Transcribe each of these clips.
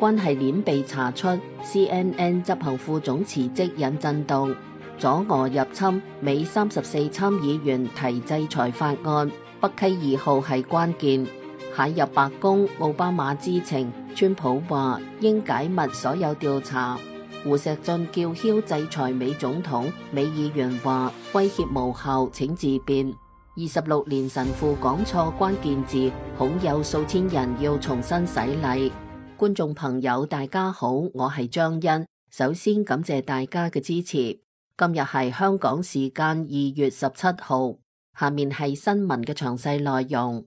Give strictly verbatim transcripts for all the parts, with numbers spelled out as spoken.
關係鏈被查出 ，C N N 執行副總辭職引震動。阻俄入侵，美三十四參議員提制裁法案，北溪二號係關鍵。蟹入白宮，奧巴馬知情，川普話應解密所有調查。胡錫進叫囂制裁美總統，美議員話威脅無效，請自辯。二十六年神父講錯關鍵字，恐有數千人要重新洗禮。觀眾朋友大家好，我係張欣，首先感謝大家嘅支持。今日係香港時間二月十七號，下面係新聞嘅詳細內容。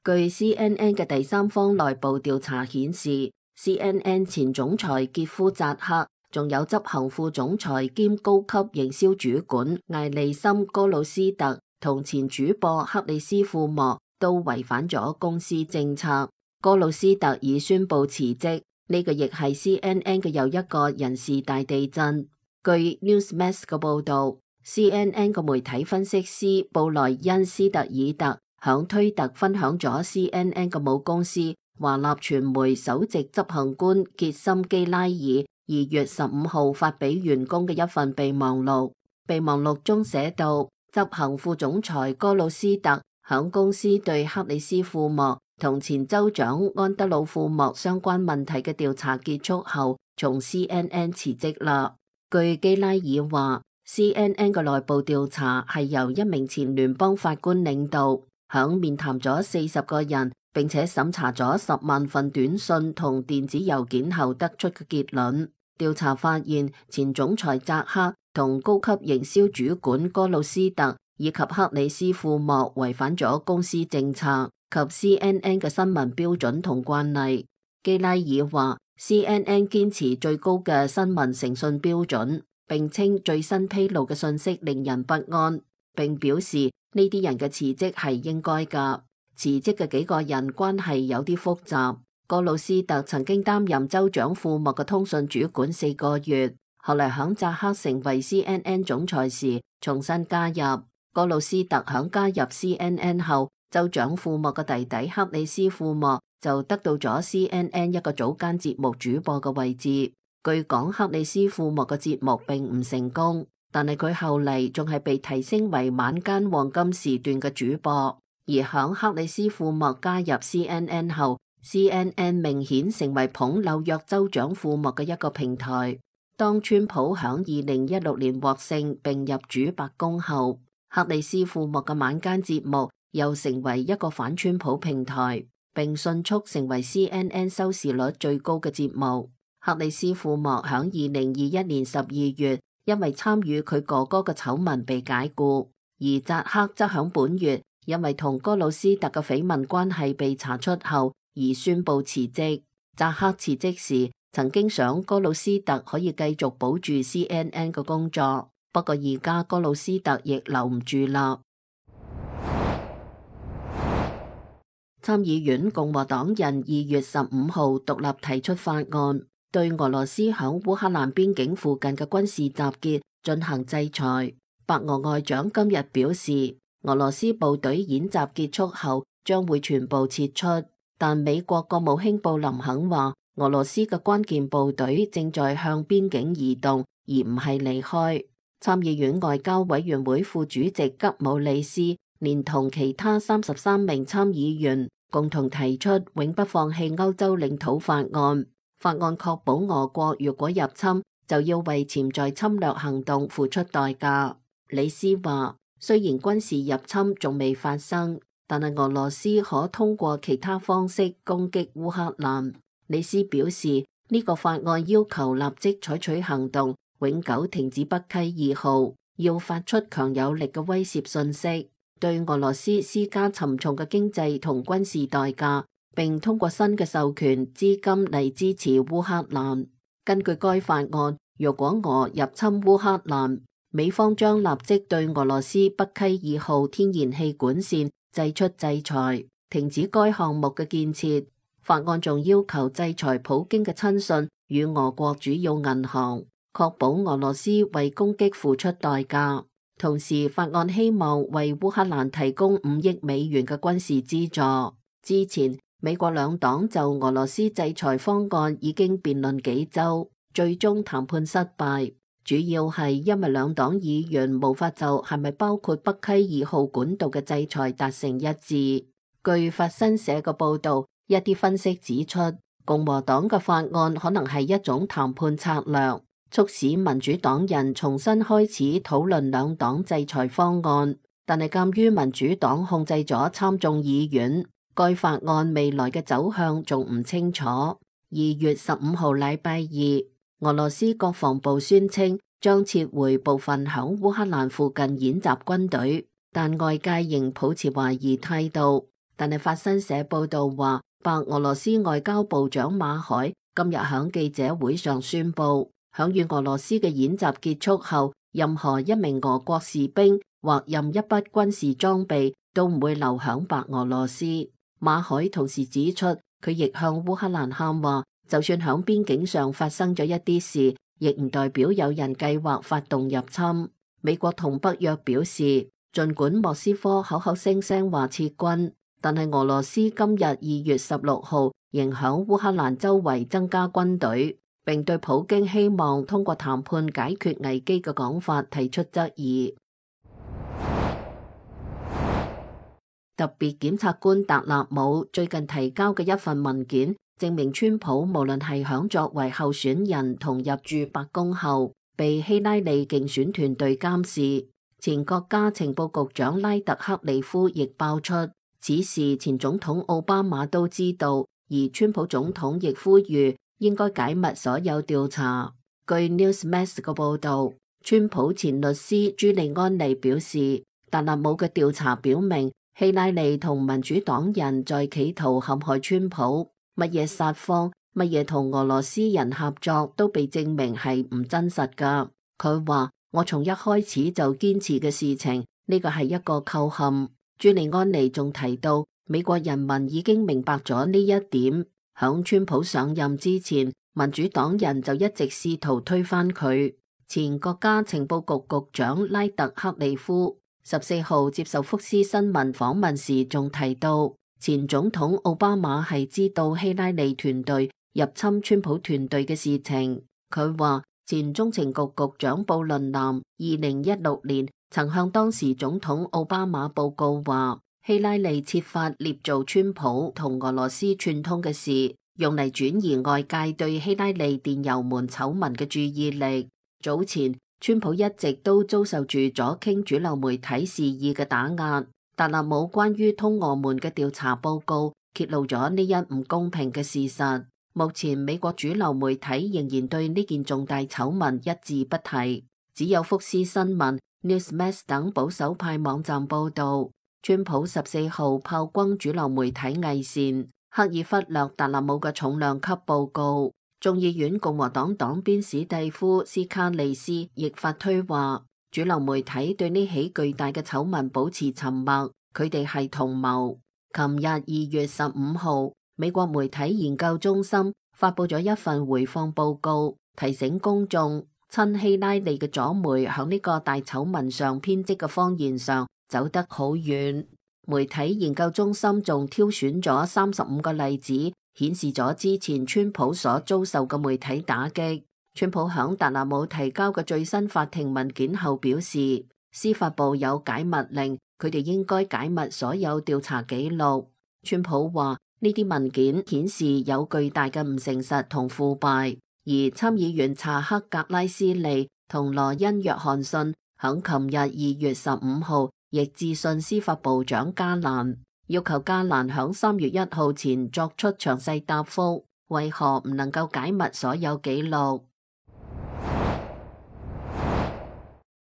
據 C N N 嘅第三方內部調查顯示 ，C N N 前總裁傑夫扎克，仲有執行副總裁兼高級營銷主管艾利森哥魯斯特同前主播克里斯庫莫都違反咗公司政策。哥魯斯特已宣布辭職，呢、這個亦係 C N N 嘅又一個人事大地震。據 Newsmax 嘅報道 ，C N N 嘅媒體分析師布萊恩斯特爾特響推特分享咗 C N N 嘅母公司華納傳媒首席執行官傑森基拉爾二月十五號發俾員工嘅一份備忘錄。備忘錄中寫道，執行副總裁哥魯斯特響公司對克里斯庫莫同前州長安德魯庫莫相關問題嘅調查結束後，從 C N N 辭職啦。據基拉爾話 ，C N N 嘅內部調查係由一名前聯邦法官領導。響面談咗四十個人，並且審查咗十萬份短信同電子郵件後得出嘅結論。調查發現，前總裁扎克同高級營銷主管哥魯斯特以及克里斯庫莫違反咗公司政策及 C N N 嘅新聞標準同慣例。基拉爾話 ，C N N 堅持最高嘅新聞誠信標準，並稱最新披露嘅信息令人不安，並表示呢啲人嘅辭職係應該㗎。辭職嘅幾個人關係有啲複雜。哥魯斯特曾經擔任州長庫莫嘅通訊主管四個月，後來響扎克成為 C N N 總裁時重新加入。哥魯斯特響加入 C N N 後，州長庫莫嘅弟弟克里斯庫莫就得到咗 C N N 一個早間節目主播嘅位置。據講，克里斯庫莫嘅節目並唔成功。但係佢後嚟仲係被提升為晚間黃金時段嘅主播，而響克里斯庫莫加入 C N N 後 ，C N N 明顯成為捧紐約州長庫莫嘅一個平台。當川普響二零一六年獲勝並入主白宮後，克里斯庫莫嘅晚間節目又成為一個反川普平台，並迅速成為 C N N 收視率最高嘅節目。克里斯庫莫響二零二一年十二月，因為參與佢哥哥嘅醜聞被解雇，而扎克則響本月因為同哥魯斯特嘅緋聞關係被查出後而宣布辭職。扎克辭職時曾經想哥魯斯特可以繼續保住 C N N 嘅工作，不過而家哥魯斯特亦留唔住啦。參議院共和黨人二月十五號獨立提出法案，對俄羅斯響烏克蘭邊境附近嘅軍事集結進行制裁。白俄外長今日表示，俄羅斯部隊演習結束後將會全部撤出，但美國國務卿布林肯話，俄羅斯嘅關鍵部隊正在向邊境移動，而唔係離開。參議院外交委員會副主席吉姆里斯連同其他三十三名參議員共同提出永不放棄歐洲領土法案。法案確保俄國如果入侵，就要為潛在侵略行動付出代價。李斯話，雖然軍事入侵仲未發生，但係俄羅斯可通過其他方式攻擊烏克蘭。李斯表示，呢個法案要求立即採取行動，永久停止北溪二號，要發出強有力嘅威懾信息，對俄羅斯施加沉重嘅經濟同軍事代價，並通過新嘅授權資金嚟支持烏克蘭。根據該法案，若果俄入侵烏克蘭，美方將立即對俄羅斯北溪二號天然氣管線祭出制裁，停止該項目嘅建設。法案仲要求制裁普京嘅親信與俄國主要銀行。確保俄羅斯為攻擊付出代價。同時，法案希望為烏克蘭提供五億美元嘅軍事資助。之前，美國兩黨就俄羅斯制裁方案已經辯論幾週，最終談判失敗，主要係因為兩黨議員無法就係咪包括北溪二號管道嘅制裁達成一致。據法新社嘅報導，一啲分析指出，共和黨嘅法案可能係一種談判策略，促使民主黨人重新開始討論兩黨制裁方案。但係鑑於民主黨控制咗參眾議院，該法案未來嘅走向仲唔清楚。二月十五號禮拜二，俄羅斯國防部宣稱將撤回部分響烏克蘭附近演習軍隊，但外界仍抱持懷疑態度。但係法新社報道話，白俄羅斯外交部長馬海今日響記者會上宣布，響與俄羅斯嘅演習結束後，任何一名俄國士兵或任一筆軍事裝備都唔會留響白俄羅斯。馬海同時指出，佢亦向烏克蘭喊話，就算響邊境上發生咗一啲事，亦唔代表有人計劃發動入侵。美國同北約表示，儘管莫斯科口口聲聲話撤軍，但係俄羅斯今日二月十六號仍響烏克蘭周圍增加軍隊，並對普京希望通過談判解決危機嘅講法提出質疑。特別檢察官達納姆最近提交嘅一份文件，證明川普無論係響作為候選人同入駐白宮後，被希拉里競選團隊監視。前國家情報局長拉特克里夫亦爆出，此事前總統奧巴馬都知道，而川普總統亦呼籲應該解密所有調查。據 Newsmax 嘅報導，川普前律師朱利安尼表示，達納姆嘅調查表明，希拉里同民主黨人在企圖陷害川普，乜嘢撒謊，乜嘢同俄羅斯人合作都被證明係唔真實㗎。佢話，我從一開始就堅持嘅事情，呢個係一個構陷。朱利安尼仲提到，美國人民已經明白咗呢一點。響川普上任之前，民主黨人就一直試圖推翻佢。前國家情報局局長拉特克里夫十四號接受福斯新聞訪問時仲提到，前總統奧巴馬係知道希拉里團隊入侵川普團隊嘅事情。佢話，前中情局局長布倫南二零一六年曾向當時總統奧巴馬報告話，希拉里設法捏造川普同俄羅斯串通嘅事，用嚟轉移外界對希拉里電郵門醜聞嘅注意力。早前川普一直都遭受住左傾主流媒體肆意嘅打壓，達納姆關於通俄門嘅調查報告揭露咗呢一唔公平嘅事實。目前美國主流媒體仍然對呢件重大醜聞一字不提，只有福斯新聞、Newsmax 等保守派網站報道，川普十四號炮轟主流媒體偽善，刻意忽略達納姆嘅重量級報告。眾議院共和黨黨鞭史蒂夫斯卡利斯亦發推話，主流媒體對呢起巨大嘅醜聞保持沉默，佢哋係同謀。琴日二月十五號，美國媒體研究中心發佈咗一份回放報告，提醒公眾，親希拉里嘅左媒響呢個大醜聞上編織嘅謊言上走得好遠。媒體研究中心仲挑選咗三十五個例子，顯示咗之前川普所遭受嘅媒體打擊。川普響達納姆提交嘅最新法庭文件後表示，司法部有解密令，佢哋應該解密所有調查記錄。川普話呢啲文件顯示有巨大嘅唔誠實同腐敗，而參議員查克格拉斯利同羅恩約翰遜響琴日二月十五號亦致信司法部長加蘭，要求加蘭響三月一號前作出詳細答覆，為何唔能夠解密所有記錄。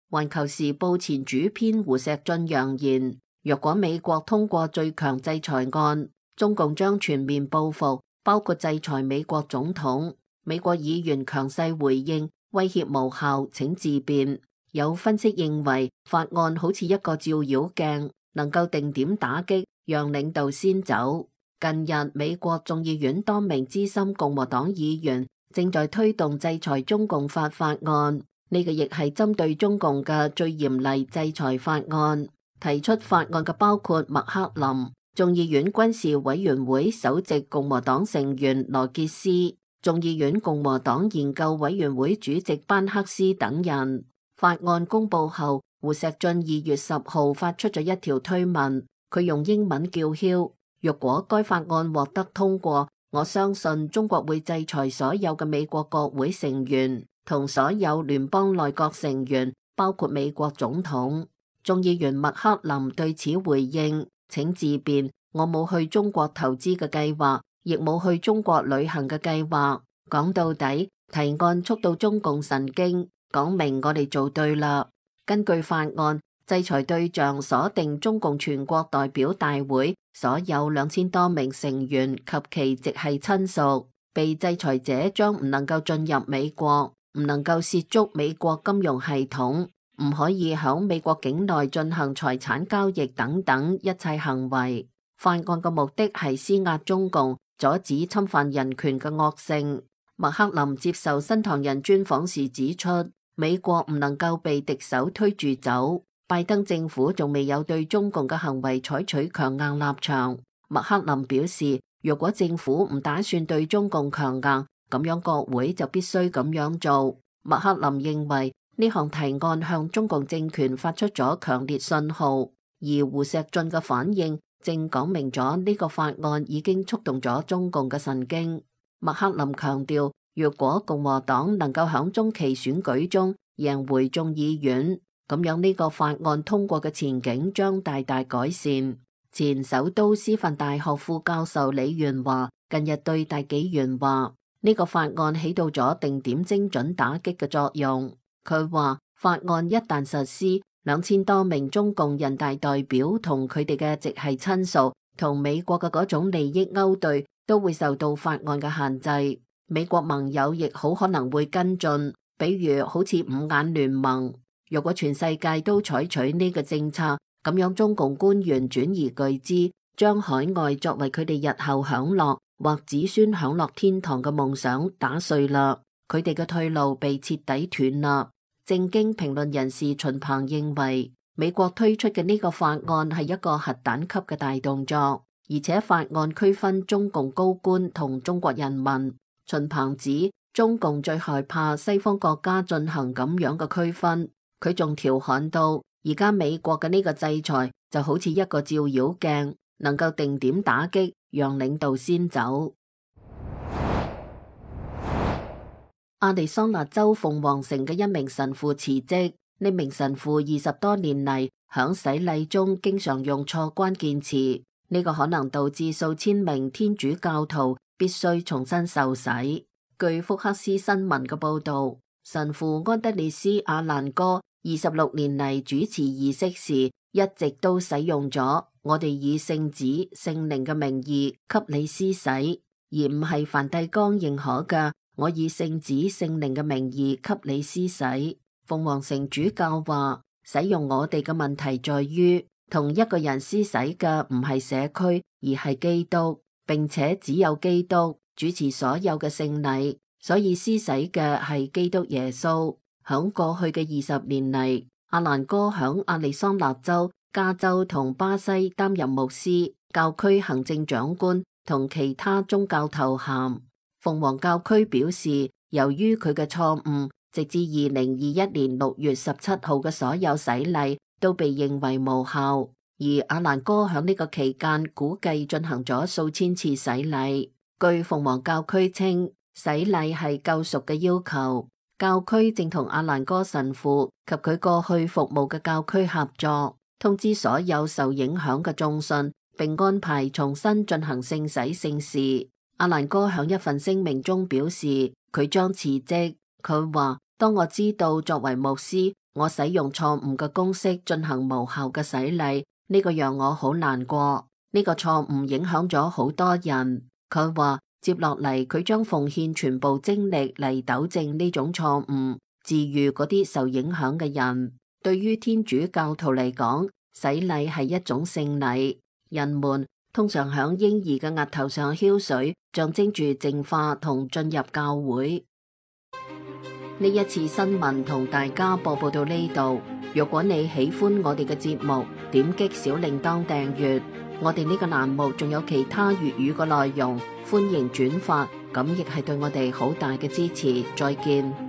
環球時報前主編胡錫進揚言，若果美國通過最強制裁案，中共將全面報復，包括制裁美國總統。美國議員強勢回應，威脅無效，請自辯。有分析認為，法案好似一個照妖鏡，能夠定點打擊，讓領導先走。近日，美國眾議院多名資深共和黨議員正在推動制裁中共法法案，呢個亦係針對中共嘅最嚴厲制裁法案。提出法案嘅包括麥克林、眾議院軍事委員會首席共和黨成員羅傑斯、眾議院共和黨研究委員會主席班克斯等人。法案公佈後，胡錫進二月十號發出咗一條推文，佢用英文叫囂：若果該法案獲得通過，我相信中國會制裁所有嘅美國國會成員同所有聯邦內閣成員，包括美國總統。眾議員麥克林對此回應：請自便，我冇去中國投資嘅計劃，亦冇去中國旅行嘅計劃。講到底，提案觸到中共神經，講明我哋做對啦。根據法案，制裁對象鎖定中共全國代表大會所有兩千多名成員及其直系親屬，被制裁者將唔能夠進入美國，唔能夠涉足美國金融系統，唔可以響美國境內進行財產交易等等一切行為。法案嘅目的係施壓中共，阻止侵犯人權嘅惡性。麥克林接受新唐人專訪時指出，美國唔能夠被敵手推住走。拜登政府仲未有對中共嘅行為採取強硬立場。麥克林表示，若果政府唔打算對中共強硬，咁樣國會就必須咁樣做。麥克林認為呢項提案向中共政權發出咗強烈信號，而胡錫進嘅反應正講明咗呢個法案已經觸動咗中共嘅神經。麥克林強調，若果共和黨能夠響中期選舉中贏回眾議院，咁樣呢個法案通過嘅前景將大大改善。前首都師範大學副教授李元華近日對大紀元話，呢個法案起到咗定點精準打擊嘅作用。佢話法案一旦實施，兩千多名中共人大代表同佢哋嘅直系親屬同美國嘅嗰種利益勾兌都會受到法案嘅限制。美國盟友亦好可能會跟進，比如好似五眼聯盟。如果全世界都採取呢個政策，咁樣中共官員轉移巨資，將海外作為佢哋日後享樂或子孫享樂天堂嘅夢想打碎啦，佢哋嘅退路被徹底斷啦。正經評論人士秦鵬認為，美國推出嘅呢個法案係一個核彈級嘅大動作，而且法案區分中共高官同中國人民。秦鵬指中共最害怕西方國家進行咁樣嘅區分。佢仲調侃到，而家美國嘅呢個制裁就好似一個照妖鏡，能夠定點打擊，讓領導先走。亞利桑那州鳳凰城嘅一名神父辭職，呢名神父二十多年嚟響洗禮中經常用錯關鍵詞，呢個可能導致數千名天主教徒必須重新受洗。據福克斯新聞嘅報道，神父安德烈斯阿蘭哥二十六年嚟主持儀式時，一直都使用咗我哋以聖子、聖靈嘅名義給你施洗，而唔係梵蒂岡認可嘅我以聖子、聖靈嘅名義給你施洗。鳳凰城主教話，使用我哋嘅問題在於，同一個人施洗嘅唔係社區，而係基督，並且只有基督主持所有嘅聖禮，所以施洗嘅係基督耶穌。響過去嘅二十年嚟，阿蘭哥響亞利桑那州、加州同巴西擔任牧師、教區行政長官同其他宗教頭銜。鳳凰教區表示，由於佢嘅錯誤，直至二零二一年六月十七號嘅所有洗禮都被認為無效，而阿蘭哥響呢個期間估計進行咗數千次洗禮。據鳳凰教區稱，洗禮係救贖嘅要求。教區正同阿蘭哥神父及佢過去服務嘅教區合作，通知所有受影響嘅眾信，並安排重新進行聖洗聖事。阿蘭哥響一份聲明中表示，佢將辭職。佢話：當我知道作為牧師，我使用錯誤嘅公式進行無效嘅洗禮，呢個讓我好難過。呢個錯誤影響咗好多人。佢話：接落嚟，佢將奉獻全部精力嚟糾正呢種錯誤，治癒嗰啲受影響嘅人。對於天主教徒嚟講，洗禮係一種聖禮，人們通常響嬰兒嘅額頭上澆水，象徵住淨化同進入教會。呢一次新聞同大家播報到呢度。如果你喜歡我哋嘅節目，點擊小鈴鐺訂閱。我哋呢個欄目仲有其他粵語嘅內容，歡迎轉發，咁亦係對我哋好大嘅支持。再見。